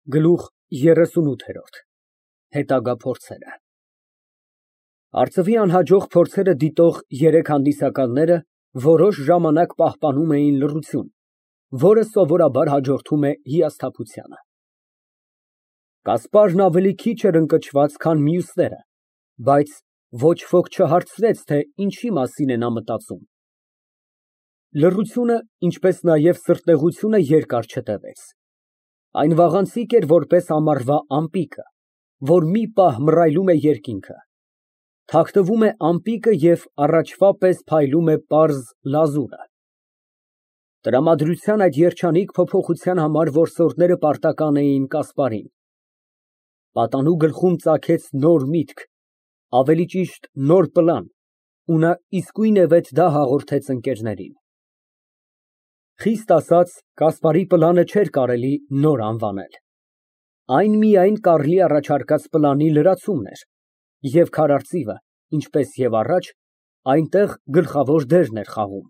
Գլուխ 38 Հետագա փորձերը Արծվի անհաջող փորձերը դիտող երեք հանդիսականները որոշ ժամանակ պահպանում էին լռություն, որը սովորաբար հաջորդում է հիասթափությանը։ Կասպարն ավելի քիչ էր ընկճված, քան մյուսները, բայց ոչ ոք չհարցրեց, թե ինչի մասին է նա մտածում։ Լռությունը, ինչպես նաև սրտեղությունը երկար չտևեց։ Այն վաղանցիկ էր, որպես ամառվա ամպիկը, որ մի պահ մռայլում է երկինքը, թաքնվում է ամպիկը և առաջվա պես փայլում է պարզ լազուրը։ Տրամադրության այդ երջանիկ փոփոխության համար որսորդները պարտական էին Կասպարին։ Պատանու գլխում ծագեց նոր միտք, ավելի ճիշտ նոր պլան, ու նա իսկույնևեթ դա հաղորդեց ընկերներին։ Խիստ ասած, Կասպարի պլանը չէր կարելի նոր անվանել։ Այն միայն Կարլի առաջարկած պլանի լրացումն էր, և քարարծիվը, ինչպես և առաջ, այնտեղ գլխավոր դերն էր խաղում։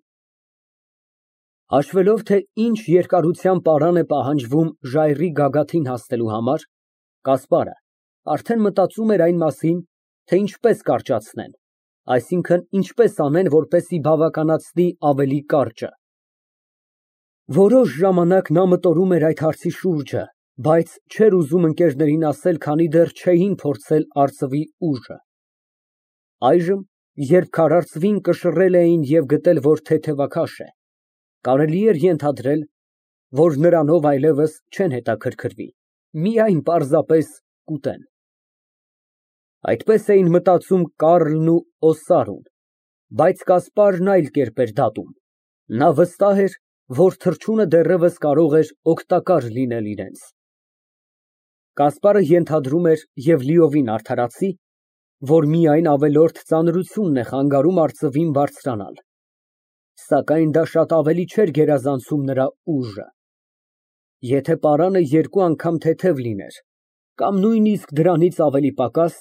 Հաշվելով, թե ինչ երկարության պարան է պահանջվում ժայռի գագաթին հասնելու համար, Կասպարը արդեն մտածում էր այն մասին, թե ինչպես կարճացնեն, այսինքն ինչպես անեն, որպեսզի բավականացնի ավելի կարճը։ Որոշ ժամանակ նա մտորում էր այդ հարցի շուրջը, բայց չէր ուզում ընկերներին ասել, քանի դեռ չէին փորձել արծվի ուժը։ Այժմ, երբ քարարծվին կշռել էին և գտել, որ թեթևաքաշ է, կարելի էր ենթադրել, որ նրանով այլևս չեն հետաքրքրվի, միայն պարզապես կուտեն։ Այդպես էին մտածում Կարլն ու Օսարուն, բայց Կասպարն այլ կերպ էր դատում. նա վստահ էր, որ թռչունը դեռևս կարող էր օգտակար լինել իրենց։ Կասպարը ենթադրում էր և լիովին արդարացի, որ միայն ավելորդ ծանրությունն է խանգարում արծվին բարձրանալ, սակայն դա շատ ավելի չէր գերազանցում նրա ուժը։ Եթե պարանը երկու անգամ թեթև լիներ, կամ նույնիսկ դրանից ավելի պակաս,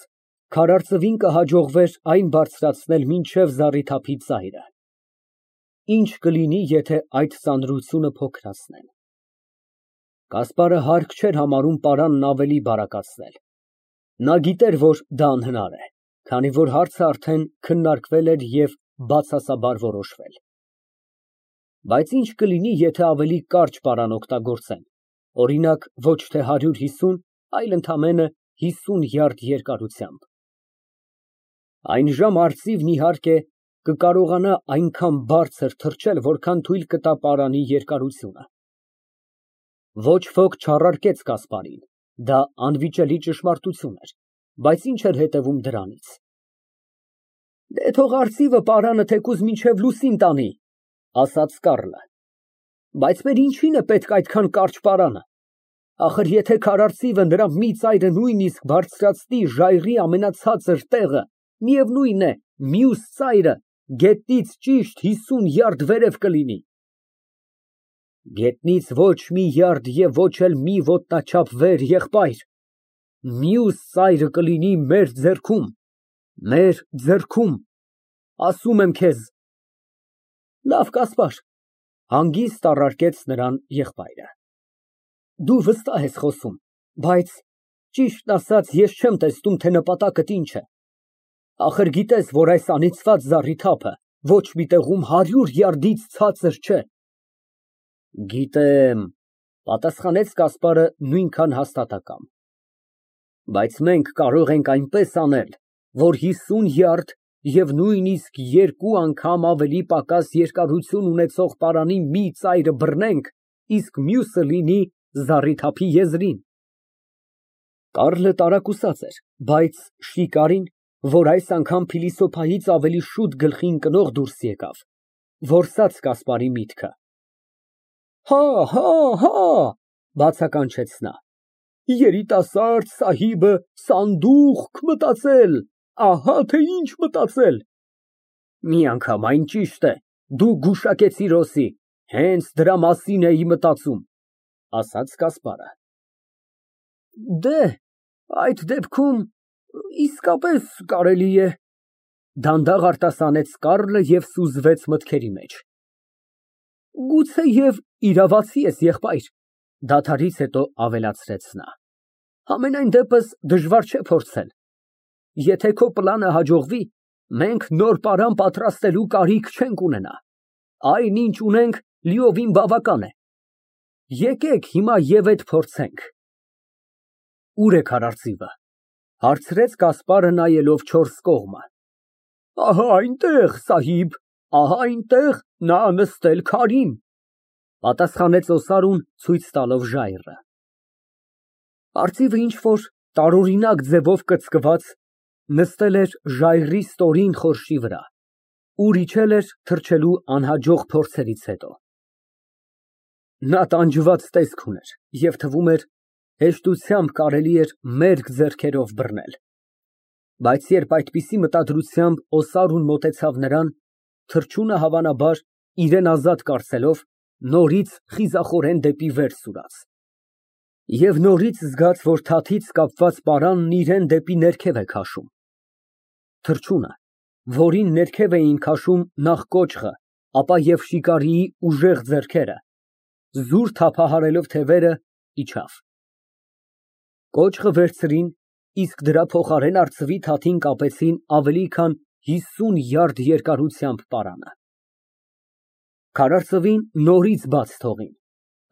քարարծվին կհաջողվեր այն բարձրացնել մինչև զառիթափի ծայրը։ Ինչ կլինի, եթե այդ ծանրությունը փոքրացնեն։ Կասպարը հարկ չէր համարում պարանն ավելի բարակացնել։ Նա գիտեր, որ դա անհնար է, քանի որ հարցը արդեն քննարկվել էր և բացասաբար որոշվել։ Բայց ինչ կլինի, եթե ավելի կարճ պարան օգտագործեն, օրինակ, ոչ թե 150, այլ ընդամենը 50 յարդ երկարությամբ։ Այն ժամ արծիվն, իհարկե, կկարողանա այնքան բարձր թռչել, որքան թույլ կտա պարանի երկարությունը։ Ոչ ոք չառարկեց Կասպարին, դա անվիճելի ճշմարտություն էր, բայց ինչ էր հետևում դրանից։ Դե թող արծիվը պարանը թեկուզ մինչև լուսին տանի, ասաց Կարլը, բայց մեր ինչին է պետք այդքան կարճ պարանը։ Ախր եթե քարարծիվը նրա մի ծայրը նույնիսկ բարձրացնի ժայռի ամենացածր տեղը, միևնույն է, մյուս ծայրը գետնից ճիշտ 50 յարդ վերև կլինի։ Գետնից ոչ մի յարդ և ոչ էլ մի ոտնաչափ վեր, եղբայր, մյուս ծայրը կլինի մեր ձեռքում, ասում եմ քեզ։ Լավ, Կասպար, հանգիստ առարկեց նրան եղբայրը։ Դու վստահ ես խոսում, բայց ճիշտն ասած, ես չեմ տեսնում, թե նպատակդ ինչ է։ Ախր գիտես, որ այս անիծված զառիթափը ոչ մի տեղում 100 յարդից ցածր չէ։ Գիտեմ, պատասխանեց Կասպարը նույնքան հաստատակամ։ Բայց մենք կարող ենք այնպես անել, որ 50 յարդ և նույնիսկ երկու անգամ ավելի պակաս երկարություն ունեցող պարանի մի ծայրը բռնենք, իսկ մյուսը լինի զառիթափի եզրին։ Կարլը տարակուսած էր, բայց շիկարին, որ այս անգամ փիլիսոփայից ավելի շուտ գլխի ընկնող դուրս եկավ, որսաց Կասպարի միտքը։ Հա, բացականչեց նա, երիտասարդ սահիբը սանդուղք մտածել, ահա թե ինչ մտածել։ Միանգամայն ճիշտ է, դու գուշակեցիր Ռոսի, հենց դրա մասին էի մտածում, ասաց Կասպարը։ Դե, այդ դեպքում իսկապես կարելի է, դանդաղ արտասանեց Կարլը և սուզվեց մտքերի մեջ։ Գուցեև իրավացի ես, եղբայր, դադարից հետո ավելացրեց նա։ Համենայն դեպս դժվար չէ փորձել։ Եթե քո պլանը հաջողվի, մենք նոր պարան պատրաստելու կարիք չենք ունենա։ Այն, ինչ ունենք, լիովին բավական է։ Եկեք հիմա և այդ փորձենք։ Ո՞ւր է քարարծիվը, հարցրեց Կասպարը նայելով չորս կողմը։ Ահա այնտեղ, սահիբ, ահա այնտեղ նա նստել քարին, պատասխանեց Օսարուն ցույց տալով ժայռը։ Արծիվը ինչ֊որ տարօրինակ ձևով կծկված նստել էր ժայռի ստորին խորշի վրա, ուր իջել էր թռչելու անհաջող փորձերից հետո։ Նա տանջված տեսք ուներ և թվում էր հեշտությամբ կարելի էր մերկ ձեռքերով բռնել։ Բայց երբ այդպիսի մտադրությամբ Օսարուն մոտեցավ նրան, թռչունը հավանաբար, իրան ազատ կարծելով, նորից խիզախորեն դեպի վեր սուրաց։ Եվ նորից զգաց, որ թաթից կապված պարանն իրան դեպի ներքև է քաշում։ Թռչունը, որին ներքև էին քաշում նախ կոճղը, ապա և շիկարիի ուժեղ ձեռքերը, զուր թափահարելով թևերը, իջավ։ Կոճղը վերցրին, իսկ դրա փոխարեն արծվի թաթին կապեցին ավելի քան 50 յարդ երկարությամբ պարանը։ Քարարծվին նորից բաց թողին,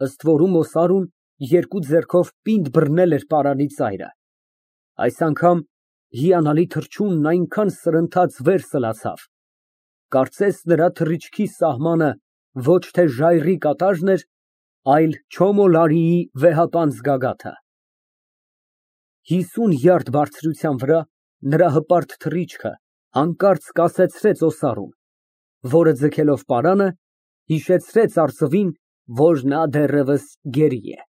ըստ որում Օսարուն երկու ձեռքով պինդ բռնել էր պարանի ծայրը։ Այս անգամ հիանալի թռչունն այնքան սրընթաց վեր սլացավ, կարծես նրա թռիչքի սահմանը ոչ թե ժայռի կատաժն էր, այլ Չոմոլարիի վեհապանծ գագաթը։ 50 յարդ բարձրության վրա նրա հպարտ թռիչքը հանկարծ կասեցրեց Օսարուն, որը ձգելով պարանը, հիշեցրեց արծվին, որ նա դեռևս գերի է։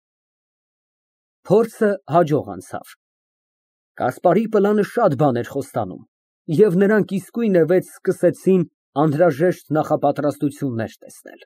Փորձը հաջող անցավ։ Կասպարի պլանը շատ բան էր խոստանում, և նրանք իսկույնևեթ սկսեցին անհրաժեշտ նախապատրաստություններ տեսնել։